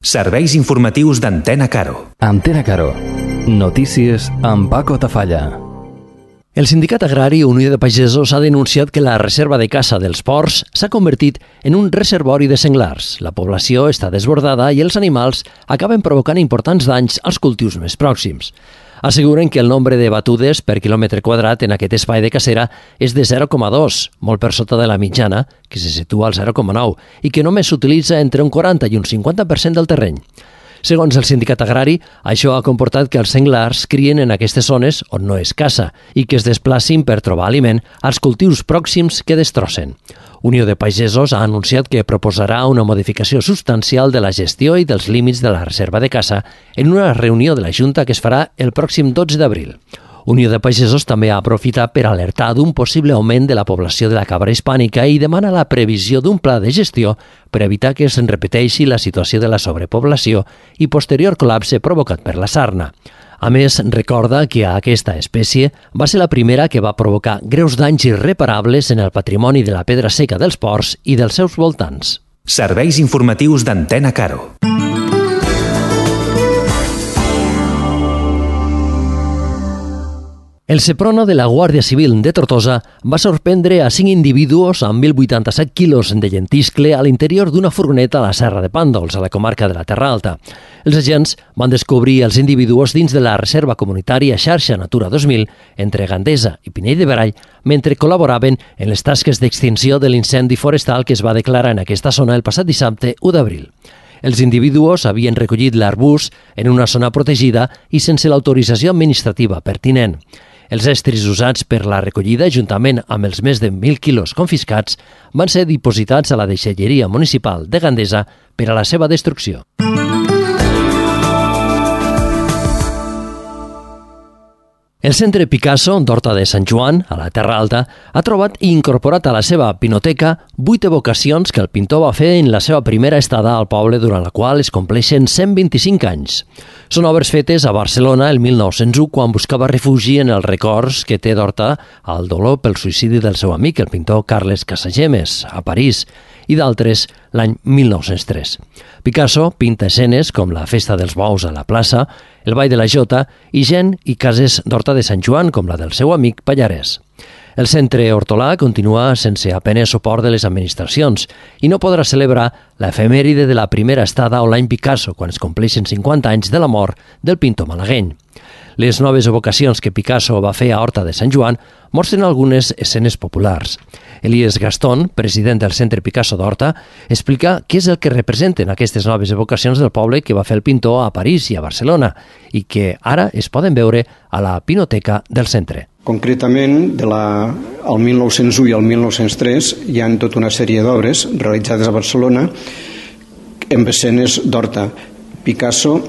Serveis informatius d'Antena Caro. Antena Caro. Notícies amb Paco Tafalla. El Sindicat Agrari Unió de Pagesos ha denunciat que la reserva de caça dels ports s'ha convertit en un reservori de senglars. La població està desbordada i els animals acaben provocant importants danys als cultius més pròxims. Asseguren que el nombre de batudes per quilòmetre quadrat en aquest espai de cacera és de 0,2, molt per sota de la mitjana, que se situa al 0,9, i que només s'utilitza entre un 40 i un 50% del terreny. Segons el sindicat agrari, això ha comportat que els senglars crien en aquestes zones on no es caça i que es desplacin per trobar aliment als cultius pròxims que destrossen. Unió de Pagesos ha anunciat que proposarà una modificació substancial de la gestió i dels límits de la reserva de caça en una reunió de la Junta que es farà el pròxim 12 d'abril. Unió de Pagesos també ha aprofitat per alertar d'un possible augment de la població de la cabra hispànica i demana la previsió d'un pla de gestió per evitar que es repeteixi la situació de la sobrepoblació i posterior col·lapse provocat per la sarna. A més, recorda que aquesta espècie va ser la primera que va provocar greus danys irreparables en el patrimoni de la pedra seca dels ports i dels seus voltants. Serveis informatius d'Antena Caro. El Seprona de la Guàrdia Civil de Tortosa va sorprendre a 5 individus amb 1.087 quilos de llentiscle a l'interior d'una furgoneta a la Serra de Pàndols, a la comarca de la Terra Alta. Els agents van descobrir els individus dins de la Reserva Comunitària Xarxa Natura 2000 entre Gandesa i Pinell de Brai mentre col·laboraven en les tasques d'extinció de l'incendi forestal que es va declarar en aquesta zona el passat dissabte 1 d'abril. Els individus havien recollit l'arbust en una zona protegida i sense l'autorització administrativa pertinent. Els estris usats per la recollida, juntament amb els més de 1.000 quilos confiscats, van ser dipositats a la deixalleria municipal de Gandesa per a la seva destrucció. El Centre Picasso d'Horta de Sant Joan, a la Terra Alta, ha trobat i incorporat a la seva pinoteca 8 evocacions que el pintor va fer en la seva primera estada al poble, durant la qual es compleixen 125 anys. Són obres fetes a Barcelona el 1901, quan buscava refugi en els records que té d'Horta al dolor pel suïcidi del seu amic, el pintor Carles Casagemes, a París, i d'altres l'any 1903. Picasso pinta escenes com la Festa dels Bous a la plaça, el Ball de la Jota i gent i cases d'Horta de Sant Joan, com la del seu amic Pallarès. El centre hortolà continua sense apenas suport de les administracions i no podrà celebrar l'efemèride de la primera estada o l'any Picasso, quan es compleixen 50 anys de la mort del pintor malagueny. Les noves evocacions que Picasso va fer a Horta de Sant Joan mostren algunes escenes populars. Elies Gastón, president del Centre Picasso d'Horta, explica què és el que representen aquestes noves evocacions del poble que va fer el pintor a París i a Barcelona i que ara es poden veure a la pinoteca del centre. Concretament, al 1901 i al 1903 hi ha tota una sèrie d'obres realitzades a Barcelona amb escenes d'Horta. Picasso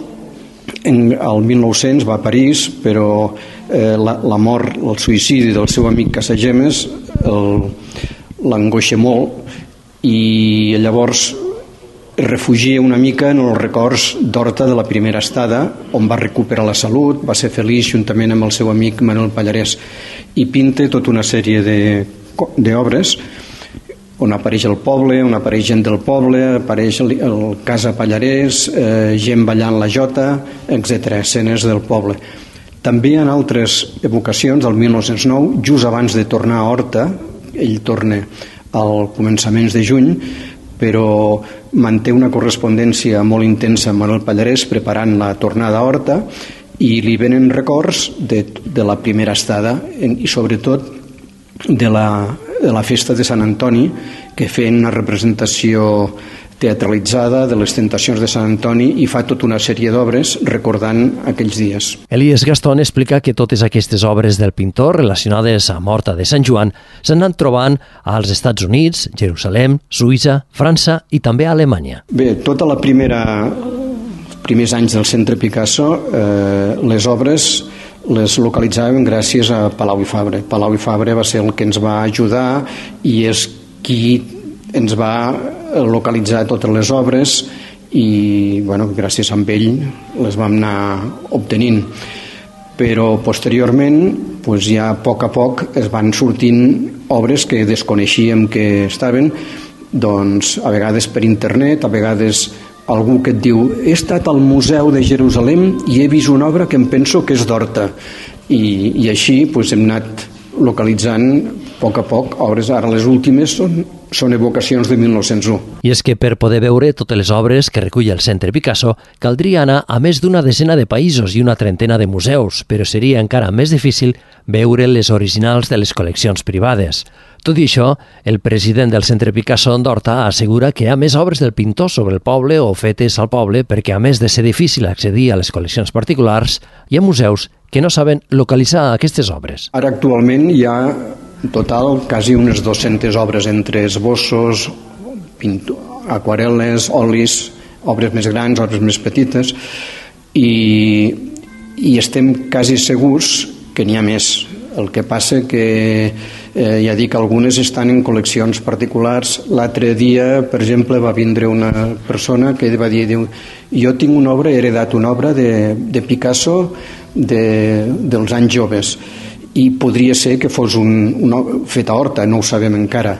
el 1900 va a París, però la mort, el suïcidi del seu amic Casagemes l'angoixa molt i llavors es refugia una mica en els records d'Horta de la primera estada, on va recuperar la salut, va ser feliç juntament amb el seu amic Manuel Pallarès, i pinta tota una sèrie d'obres on apareix el poble, on apareix gent del poble, apareix el Casa Pallarès, gent ballant la jota, etc., escenes del poble. També hi ha altres evocacions del 1909, just abans de tornar a Horta, ell torna al començaments de juny, però manté una correspondència molt intensa amb Manuel Pallarès preparant la tornada a Horta i li venen records de la primera estada i sobretot de la festa de Sant Antoni, que feien una representació teatralitzada de les tentacions de Sant Antoni i fa tota una sèrie d'obres recordant aquells dies. Elies Gastón explica que totes aquestes obres del pintor relacionades amb Horta de Sant Joan s'han anat trobant als Estats Units, Jerusalem, Suïssa, França i també a Alemanya. Bé, tota la primers anys del Centre Picasso, les obres les localitzàvem gràcies a Palau i Fabra. Palau i Fabra va ser el que ens va ajudar i és qui ens va localitzar totes les obres i gràcies a ell les vam anar obtenint. Però posteriorment ja a poc es van sortint obres que desconeixíem que estaven, a vegades per internet, a vegades algú que et diu he estat al Museu de Jerusalem i he vist una obra que em penso que és d'Horta, i així hem anat localitzant a poc obres. Ara les últimes són evocacions de 1901. I és que per poder veure totes les obres que recull el Centre Picasso caldria anar a més d'una desena de països i una trentena de museus, però seria encara més difícil veure les originals de les col·leccions privades. Tot i això, el president del Centre Picasso d'Horta assegura que hi ha més obres del pintor sobre el poble o fetes al poble perquè, a més de ser difícil accedir a les col·leccions particulars, hi ha museus que no saben localitzar aquestes obres. Ara actualment hi ha en total quasi unes 200 obres entre esbossos, aquarel·les, olis, obres més grans, obres més petites, i estem quasi segurs que n'hi ha més. El que passa que ja dic, algunes estan en col·leccions particulars. L'altre dia, per exemple, va vindre una persona que va dir, jo tinc una obra, he heredat una obra de Picasso dels anys joves, i podria ser que fos fet a Horta, no ho sabem encara,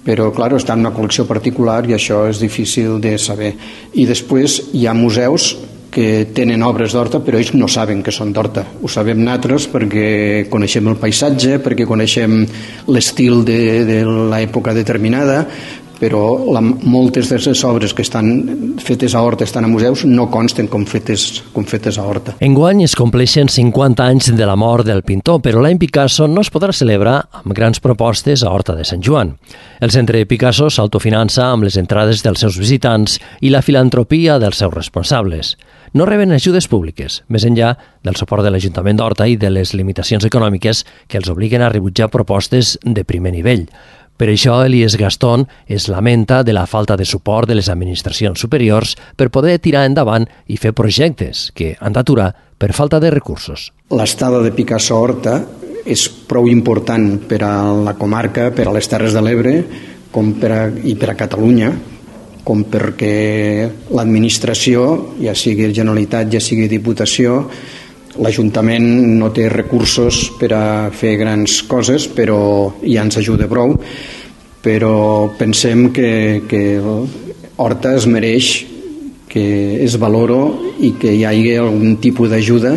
però clar, està en una col·lecció particular i això és difícil de saber. I després hi ha museus que tenen obres d'Horta, però ells no saben que són d'Horta. Ho sabem nosaltres perquè coneixem el paisatge, perquè coneixem l'estil de l'època determinada, però moltes de les obres que estan fetes a Horta, estan a museus, no consten com fetes a Horta. Enguany es compleixen 50 anys de la mort del pintor, però l'any Picasso no es podrà celebrar amb grans propostes a Horta de Sant Joan. El Centre Picasso s'autofinança amb les entrades dels seus visitants i la filantropia dels seus responsables. No reben ajudes públiques, més enllà del suport de l'Ajuntament d'Horta i de les limitacions econòmiques que els obliguen a rebutjar propostes de primer nivell. Per això, Elies Gastón es lamenta de la falta de suport de les administracions superiors per poder tirar endavant i fer projectes que han d'aturar per falta de recursos. L'estada de Picasso a Horta és prou important per a la comarca, per a les Terres de l'Ebre i per a Catalunya, com perquè l'administració, ja sigui Generalitat, ja sigui Diputació, l'Ajuntament no té recursos per a fer grans coses, però ja ens ajuda prou. Però pensem que Horta es mereix que es valoro i que hi hagi algun tipus d'ajuda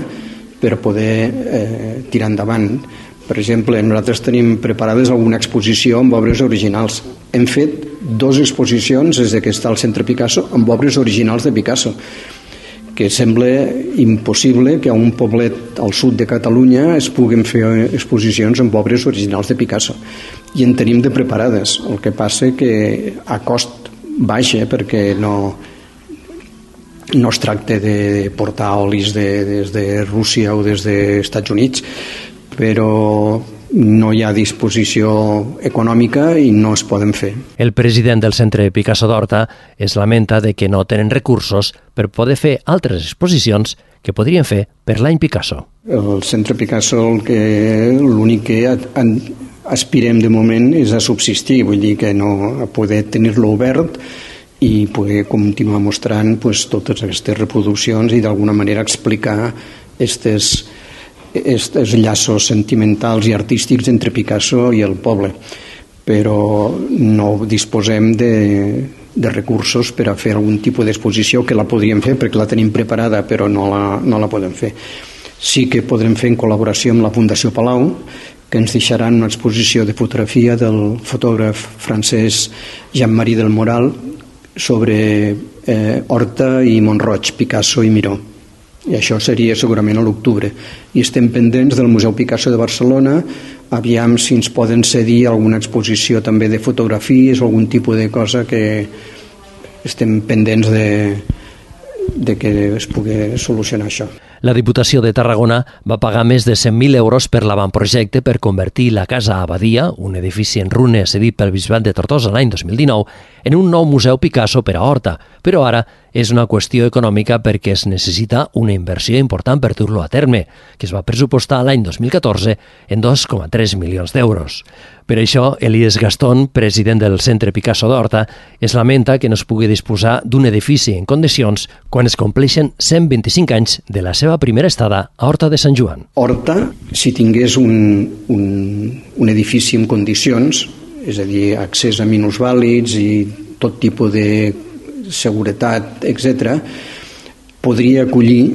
per poder tirar endavant. Per exemple, nosaltres tenim preparades alguna exposició amb obres originals. Hem fet 2 exposicions des que està al Centre Picasso amb obres originals de Picasso, que sembla impossible que a un poblet al sud de Catalunya es puguin fer exposicions amb obres originals de Picasso. I en tenim de preparades. El que passa que a cost baix, perquè no es tracta de portar olis des de Rússia o des dels Estats Units, però no hi ha disposició econòmica i no es poden fer. El president del Centre Picasso d'Horta es lamenta de que no tenen recursos per poder fer altres exposicions que podrien fer per l'any Picasso. El Centre Picasso l'únic que aspirem de moment és a subsistir, vull dir que no a poder tenir-lo obert i poder continuar mostrant totes aquestes reproduccions i d'alguna manera explicar aquests llaços sentimentals i artístics entre Picasso i el poble, però no disposem de recursos per a fer algun tipus d'exposició, que la podríem fer perquè la tenim preparada, però no la podem fer. Sí que podrem fer en col·laboració amb la Fundació Palau, que ens deixaran una exposició de fotografia del fotògraf francès Jean-Marie del Moral sobre Horta i Mont-roig, Picasso i Miró. I això seria segurament a l'octubre. I estem pendents del Museu Picasso de Barcelona, aviam si ens poden cedir alguna exposició també de fotografies o algun tipus de cosa, que estem pendents de que es pugui solucionar això. La Diputació de Tarragona va pagar més de 100.000 euros per l'avantprojecte per convertir la Casa Abadia, un edifici en runes cedit pel Bisbat de Tortosa l'any 2019, en un nou museu Picasso per a Horta, però ara és una qüestió econòmica perquè es necessita una inversió important per dur-lo a terme, que es va pressupostar l'any 2014 en 2,3 milions d'euros. Per això, Elies Gastón, president del Centre Picasso d'Horta, es lamenta que no es pugui disposar d'un edifici en condicions quan es compleixen 125 anys de la seva primera estada a Horta de Sant Joan. Horta, si tingués un edifici en condicions, és a dir, accés a minusvàlids i tot tipus seguretat, etc., podria acollir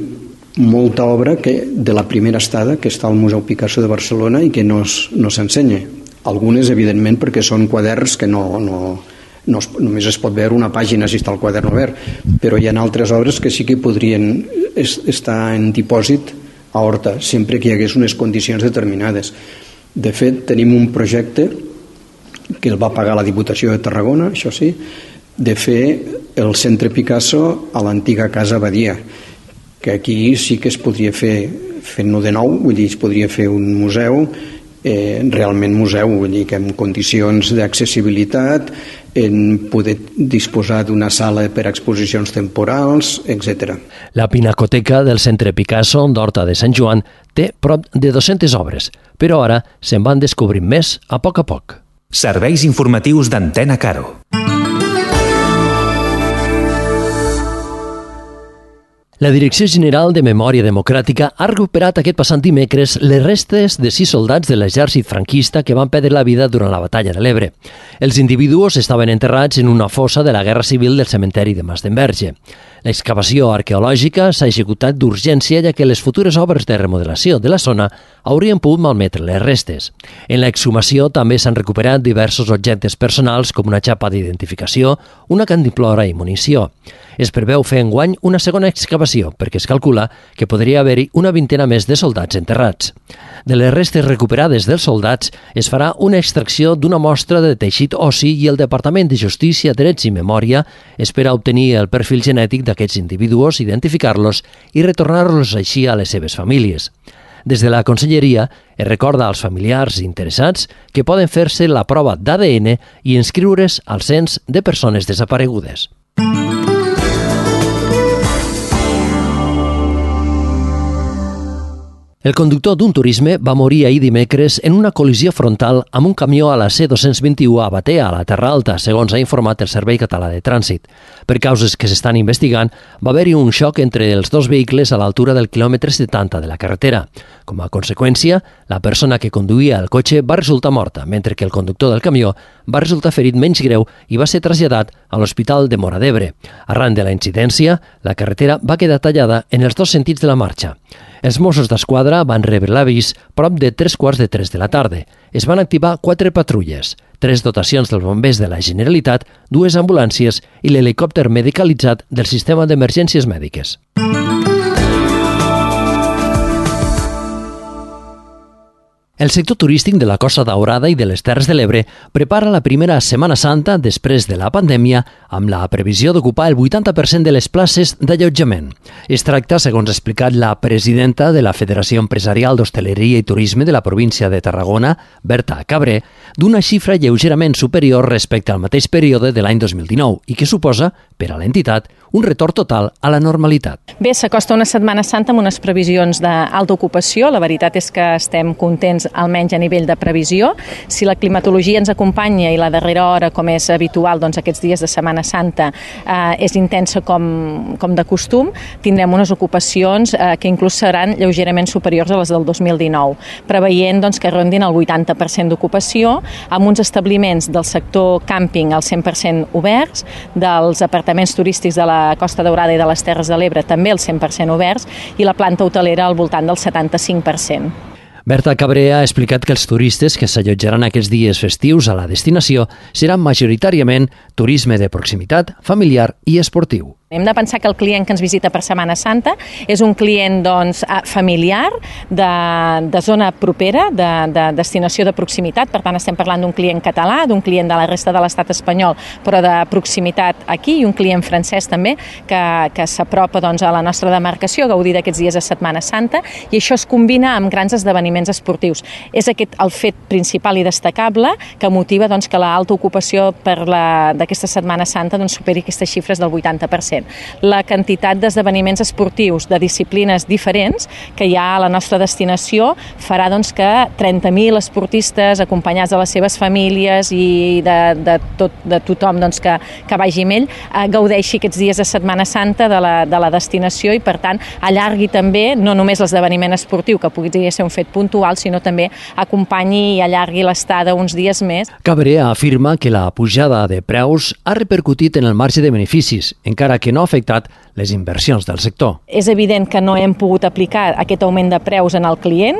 molta obra de la primera estada que està al Museu Picasso de Barcelona i que no s'ensenya. Algunes, evidentment, perquè són quaderns que només es pot veure una pàgina si està el quadern obert, però hi ha altres obres que sí que podrien estar en dipòsit a Horta, sempre que hi hagués unes condicions determinades. De fet, tenim un projecte que el va pagar la Diputació de Tarragona, això sí, de fer el Centre Picasso a l'antiga Casa Badia, que aquí sí que es podria fer fent-ho de nou, vull dir, es podria fer un museu, realment museu, vull dir que en condicions d'accessibilitat, en poder disposar d'una sala per a exposicions temporals, etc. La Pinacoteca del Centre Picasso d'Horta de Sant Joan té prop de 200 obres, però ara se'n van descobrint més a poc. Serveis informatius d'Antena Caro. La Direcció General de Memòria Democràtica ha recuperat aquest passat dimecres les restes de 6 soldats de l'exèrcit franquista que van perdre la vida durant la batalla de l'Ebre. Els individus estaven enterrats en una fossa de la Guerra Civil del cementeri de Mas d'Enverge. L'excavació arqueològica s'ha executat d'urgència ja que les futures obres de remodelació de la zona haurien pogut malmetre les restes. En l'exhumació també s'han recuperat diversos objectes personals com una xapa d'identificació, una cantimplora i munició. Es preveu fer enguany una segona excavació perquè es calcula que podria haver-hi una vintena més de soldats enterrats. De les restes recuperades dels soldats es farà una extracció d'una mostra de teixit ossi i el Departament de Justícia, Drets i Memòria espera obtenir el perfil genètic d'aquests individus, identificar-los i retornar-los així a les seves famílies. Des de la Conselleria es recorda als familiars interessats que poden fer-se la prova d'ADN i inscriure's al cens de persones desaparegudes. El conductor d'un turisme va morir ahir dimecres en una col·lisió frontal amb un camió a la C221 a Batea, a la Terra Alta, segons ha informat el Servei Català de Trànsit. Per causes que s'estan investigant, va haver-hi un xoc entre els dos vehicles a l'altura del quilòmetre 70 de la carretera. Com a conseqüència, la persona que conduïa el cotxe va resultar morta, mentre que el conductor del camió va resultar ferit menys greu i va ser traslladat a l'Hospital de Móra d'Ebre. Arran de la incidència, la carretera va quedar tallada en els dos sentits de la marxa. Els Mossos d'Esquadra van rebre l'avís prop de 3:45 de la tarda. Es van activar 4 patrulles, 3 dotacions dels bombers de la Generalitat, 2 ambulàncies i l'helicòpter medicalitzat del sistema d'emergències mèdiques. El sector turístic de la Costa Daurada i de les Terres de l'Ebre prepara la primera Setmana Santa després de la pandèmia amb la previsió d'ocupar el 80% de les places d'allotjament. Es tracta, segons ha explicat la presidenta de la Federació Empresarial d'Hostaleria i Turisme de la província de Tarragona, Berta Cabré, d'una xifra lleugerament superior respecte al mateix període de l'any 2019 i que suposa, per a l'entitat, un retorn total a la normalitat. Bé, s'acosta una Setmana Santa amb unes previsions d'alta ocupació. La veritat és que estem contents almenys a nivell de previsió. Si la climatologia ens acompanya i la darrera hora, com és habitual, doncs aquests dies de Setmana Santa és intensa com de costum, tindrem unes ocupacions que inclús seran lleugerament superiors a les del 2019, preveient doncs, que rondin el 80% d'ocupació, amb uns establiments del sector càmping al 100% oberts, dels apartaments turístics de la Costa Daurada i de les Terres de l'Ebre també al 100% oberts i la planta hotelera al voltant del 75%. Berta Cabré ha explicat que els turistes que s'allotjaran aquests dies festius a la destinació seran majoritàriament turisme de proximitat, familiar i esportiu. Hem de pensar que el client que ens visita per Setmana Santa és un client doncs, familiar, de zona propera, de destinació de proximitat. Per tant, estem parlant d'un client català, d'un client de la resta de l'estat espanyol, però de proximitat aquí, i un client francès també, que s'apropa doncs, a la nostra demarcació a gaudir d'aquests dies de Setmana Santa, i això es combina amb grans esdeveniments esportius. És aquest el fet principal i destacable que motiva doncs, que l'alta ocupació d'aquesta Setmana Santa doncs, superi aquestes xifres del 80%. diferent. La quantitat d'esdeveniments esportius de disciplines diferents que hi ha a la nostra destinació farà doncs, que 30.000 esportistes acompanyats de les seves famílies i de tothom doncs, que vagi amb ell gaudeixi aquests dies de Setmana Santa de la destinació i, per tant, allargui també no només l'esdeveniment esportiu, que pugui ser un fet puntual, sinó també acompanyi i allargui l'estada uns dies més. Cabré afirma que la pujada de preus ha repercutit en el marge de beneficis, encara que no ha afectat les inversions del sector. És evident que no hem pogut aplicar aquest augment de preus en el client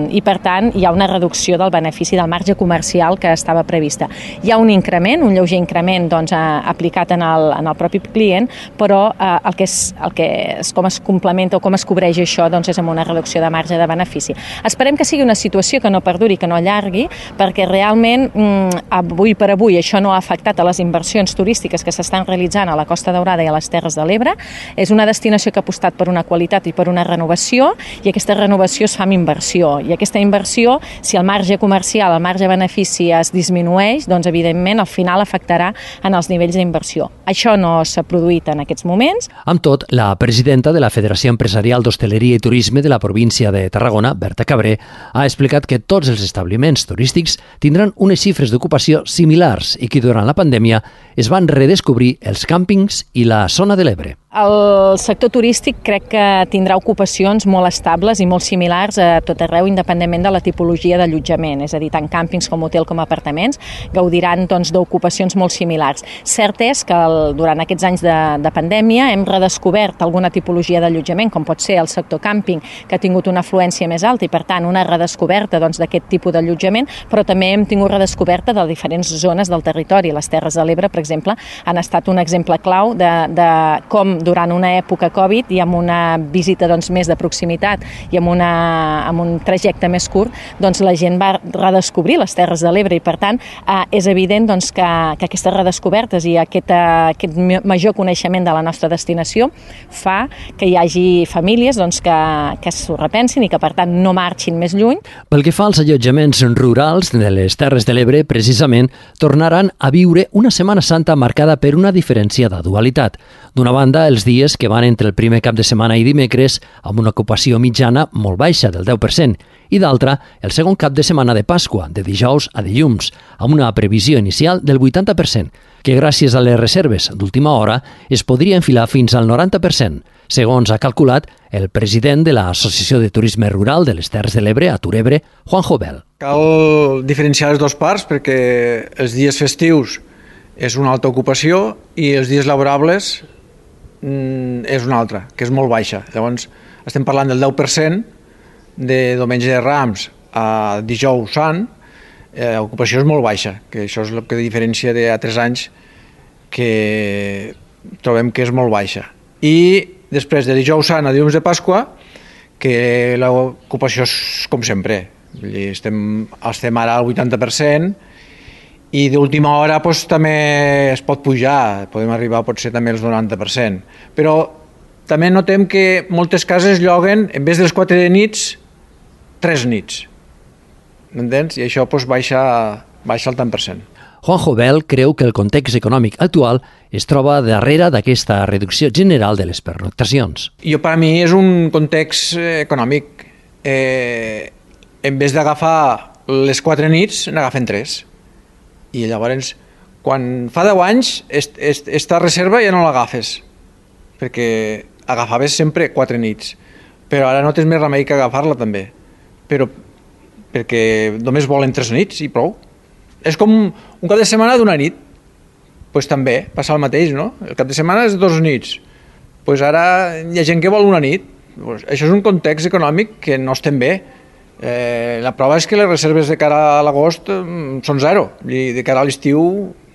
i, per tant, hi ha una reducció del benefici del marge comercial que estava prevista. Hi ha un increment, un lleuger increment doncs, aplicat en el propi client, però el que és com es complementa o com es cobreix això doncs, és amb una reducció de marge de benefici. Esperem que sigui una situació que no perduri, que no allargui, perquè realment avui per avui això no ha afectat a les inversions turístiques que s'estan realitzant a la Costa Daurada i a les Terres de l'Ebre. És una destinació que ha apostat per una qualitat i per una renovació, i aquesta renovació es fa amb inversió. I aquesta inversió, si el marge comercial, el marge de benefici es disminueix, doncs evidentment al final afectarà en els nivells d'inversió. Això no s'ha produït en aquests moments. Amb tot, la presidenta de la Federació Empresarial d'Hostaleria i Turisme de la província de Tarragona, Berta Cabré, ha explicat que tots els establiments turístics tindran unes xifres d'ocupació similars i que durant la pandèmia es van redescobrir els càmpings i la zona de l'Ebre. El sector turístic crec que tindrà ocupacions molt estables i molt similars a tot arreu, independentment de la tipologia d'allotjament, és a dir, tant càmpings com hotel com apartaments gaudiran doncs, d'ocupacions molt similars. Cert és que durant aquests anys de pandèmia hem redescobert alguna tipologia d'allotjament, com pot ser el sector càmping, que ha tingut una afluència més alta i, per tant, una redescoberta doncs, d'aquest tipus d'allotjament, però també hem tingut redescoberta de diferents zones del territori. Les Terres de l'Ebre, per exemple, han estat un exemple clau de com durant una època Covid i amb una visita doncs, més de proximitat i amb un trajecte més curt, doncs, la gent va redescobrir les Terres de l'Ebre i, per tant, és evident doncs, que aquestes redescobertes i aquest major coneixement de la nostra destinació fa que hi hagi famílies doncs, que s'ho repensin i que, per tant, no marxin més lluny. Pel que fa als allotjaments rurals de les Terres de l'Ebre, precisament, tornaran a viure una Setmana Santa marcada per una diferenciada dualitat. D'una banda, els dies que van entre el primer cap de setmana i dimecres, amb una ocupació mitjana molt baixa del 10%, i d'altra, el segon cap de setmana de Pasqua, de dijous a dilluns, amb una previsió inicial del 80%, que gràcies a les reserves d'última hora es podria enfilar fins al 90%, segons ha calculat el president de l'Associació de Turisme Rural de les Terres de l'Ebre, a Turebre, Juanjo Bel. Cal diferenciar les dues parts perquè els dies festius és una alta ocupació i els dies laborables és una altra, que és molt baixa. Llavors, estem parlant del 10% de diumenge de Rams a dijous sant, l'ocupació és molt baixa, que això és el que diferencia d'altres anys que trobem que és molt baixa. I després de dijous sant a dilluns de Pasqua, que l'ocupació és com sempre, estem ara al 80%, i d'última hora doncs, també es pot pujar, podem arribar potser també als 90%. Però també notem que moltes cases lloguen, en vez dels 4 nits, 3 nits. M'entens? I això doncs, baixa el tant per cent. Juanjo Bel creu que el context econòmic actual es troba darrere d'aquesta reducció general de les pernoctacions. Per a mi és un context econòmic. En vez d'agafar les 4 nits, n'agafen 3. I llavors, quan fa 10 anys, esta reserva ja no l'agafes, perquè agafaves sempre 4 nits, però ara no tens més remei que agafar-la també, perquè només volen 3 nits i prou. És com un cap de setmana d'una nit, doncs també passa el mateix, no? El cap de setmana és 2 nits, doncs ara hi ha gent que vol una nit. Això és un context econòmic que no estem bé. La prova és que les reserves de cara a l'agost són 0 i de cara a l'estiu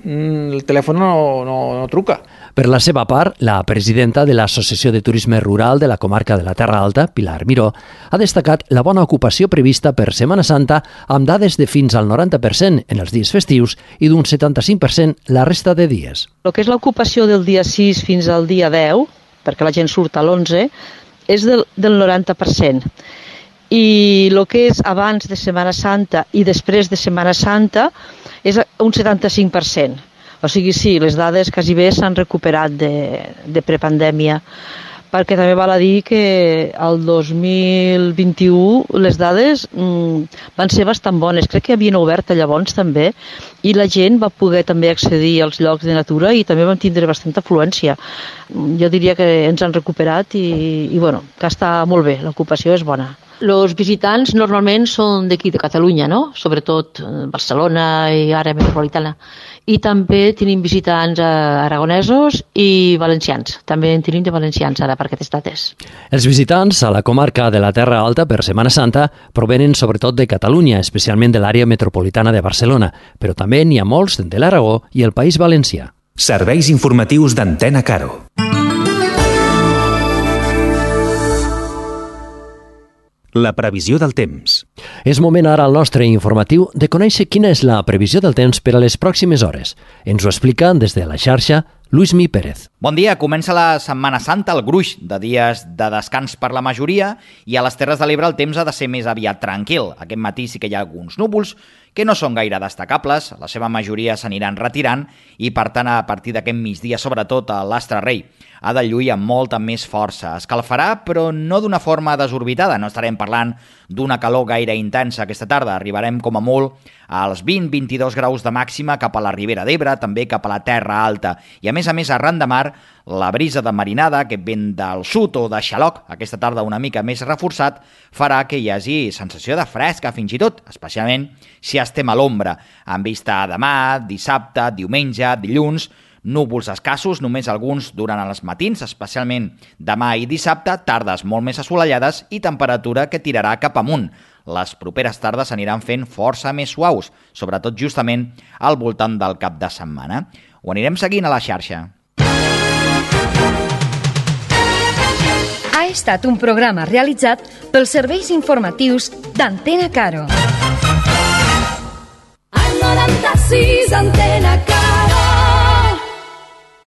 el telèfon no truca. Per la seva part, la presidenta de l'Associació de Turisme Rural de la comarca de la Terra Alta, Pilar Miró, ha destacat la bona ocupació prevista per Setmana Santa amb dades de fins al 90% en els dies festius i d'un 75% la resta de dies. El que és l'ocupació del dia 6 fins al dia 10, perquè la gent surt a l'11, és del 90%. I el que és abans de Setmana Santa i després de Setmana Santa és un 75%. O O sigui, sí, les dades quasi bé s'han recuperat de prepandèmia, perquè també val a dir que el 2021 les dades van ser bastant bones. Crec que havien obert llavors també, i la gent va poder també accedir als llocs de natura i també vam tindre bastanta afluència. Jo diria que ens han recuperat i bueno, que està molt bé, l'ocupació és bona. Els visitants normalment són d'aquí, de Catalunya, no? Sobretot Barcelona i àrea metropolitana. I també tenim visitants aragonesos i valencians. També en tenim de valencians ara per aquestes dates. Els visitants a la comarca de la Terra Alta per Setmana Santa provenen sobretot de Catalunya, especialment de l'àrea metropolitana de Barcelona, però també n'hi ha molts de l'Aragó i el País Valencià. Serveis informatius d'Antena Caro. La previsió del temps. És moment ara al nostre informatiu de conèixer quina és la previsió del temps per a les pròximes hores. Ens ho explica des de la xarxa Luismi Pérez. Bon dia, comença la Setmana Santa, el gruix de dies de descans per la majoria, i a les Terres de l'Ebre el temps ha de ser més aviat tranquil. Aquest matí sí que hi ha alguns núvols que no són gaire destacables, la seva majoria s'aniran retirant i, per tant, a partir d'aquest migdia, sobretot a l'Astre Rei, ha de lluir amb molta més força. Escalfarà, però no d'una forma desorbitada. No estarem parlant d'una calor gaire intensa aquesta tarda. Arribarem com a molt als 20-22 graus de màxima cap a la Ribera d'Ebre, també cap a la Terra Alta. I a més, arran de mar, la brisa de marinada, que vent del sud o de xaloc, aquesta tarda una mica més reforçat, farà que hi hagi sensació de fresca fins i tot, especialment si estem a l'ombra. En vista a demà, dissabte, diumenge, dilluns, núvols escassos, només alguns durant els matins, especialment demà i dissabte, tardes molt més assolellades i temperatura que tirarà cap amunt. Les properes tardes aniran fent força més suaus, sobretot justament al voltant del cap de setmana. Ho anirem seguint a la xarxa. Ha estat un programa realitzat pels serveis informatius d'Antena Caro. Al 96 Antena Caro.